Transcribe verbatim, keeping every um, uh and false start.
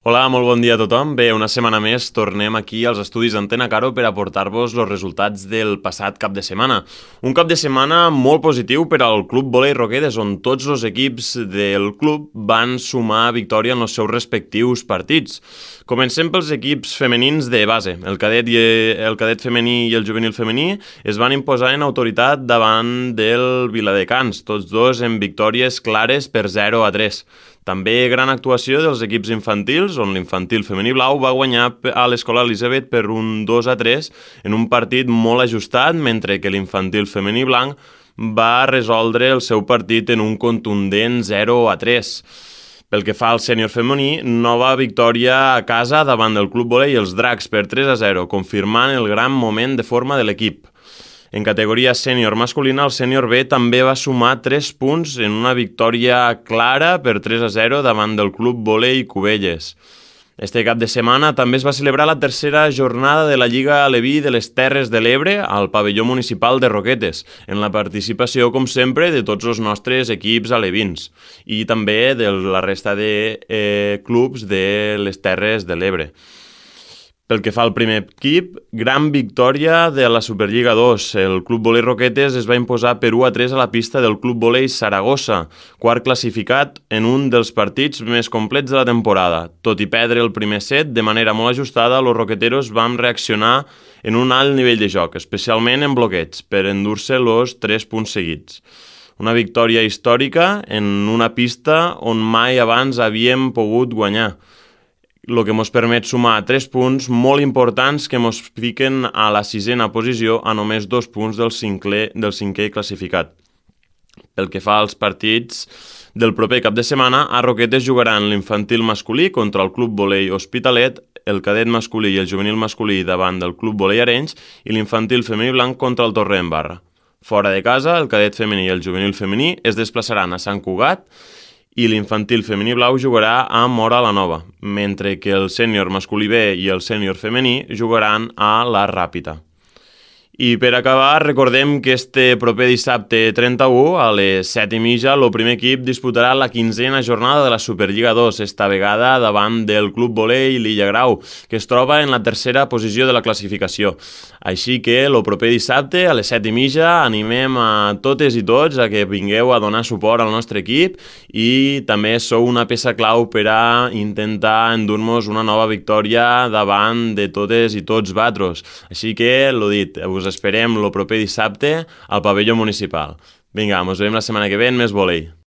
Hola, molt bon dia a tothom. Bé, una setmana més tornem aquí als estudis d'Antena Caro per aportar-vos els resultats del passat cap de setmana. Un cap de setmana molt positiu per al Club Volei Roquetes, on tots els equips del club van sumar victòria en els seus respectius partits. Comencem pels equips femenins de base. El cadet, i el cadet femení i el juvenil femení es van imposar en autoritat davant del Viladecans, tots dos en victòries clares per zero a tres. També gran actuació dels equips infantils, on l'infantil femení blau va guanyar a l'Escola Elisabet per un dos a tres en un partit molt ajustat, mentre que l'infantil femení blanc va resoldre el seu partit en un contundent zero a tres. Pel que fa al sènior femení, nova victòria a casa davant del Club Volei i els Dracs per tres a zero, confirmant el gran moment de forma de l'equip. En categoria sènior masculina, el sènior B també va sumar tres punts en una victòria clara per tres a zero davant del Club Volei Cubelles. Este cap de setmana també es va celebrar la tercera jornada de la Lliga Aleví de les Terres de l'Ebre al pavelló municipal de Roquetes, en la participació, com sempre, de tots els nostres equips alevins i també de la resta de eh, clubs de les Terres de l'Ebre. Pel que fa al primer equip, gran victòria de la Superliga dos. El Club Volei Roquetes es va imposar per u a tres a la pista del Club Volei Saragossa, quart classificat en un dels partits més complets de la temporada. Tot i perdre el primer set, de manera molt ajustada, els roqueteros van reaccionar en un alt nivell de joc, especialment en bloqueig, per endur-se els tres punts seguits. Una victòria històrica en una pista on mai abans havíem pogut guanyar, el que ens permet sumar tres punts molt importants que ens fiquen a la sisena posició a només dos punts del cinquè, del cinquè classificat. Pel que fa als partits del proper cap de setmana, a Roquetes jugaran l'infantil masculí contra el Club Volei Hospitalet, el cadet masculí i el juvenil masculí davant del Club Volei Arenys i l'infantil femení blanc contra el Torrent Barra. Fora de casa, el cadet femení i el juvenil femení es desplaçaran a Sant Cugat i l'infantil femení blau jugarà a Móra la Nova, mentre que el sènior masculí B i el sènior femení jugaran a la Ràpita. I per acabar, recordem que este proper dissabte trenta-u, a les set i mitja, el primer equip disputarà la quinzena jornada de la Superliga dos, esta vegada davant del Club Volei Lilla Grau, que es troba en la tercera posició de la classificació. Així que el proper dissabte, a les set i mitja, animem a totes i tots a que vingueu a donar suport al nostre equip i també sou una peça clau per a intentar endur-nos una nova victòria davant de totes i tots vatros. Així que, l'ho dit, us esperem el proper dissabte al pavelló municipal. Vinga, ens veiem la setmana que ve en més volei.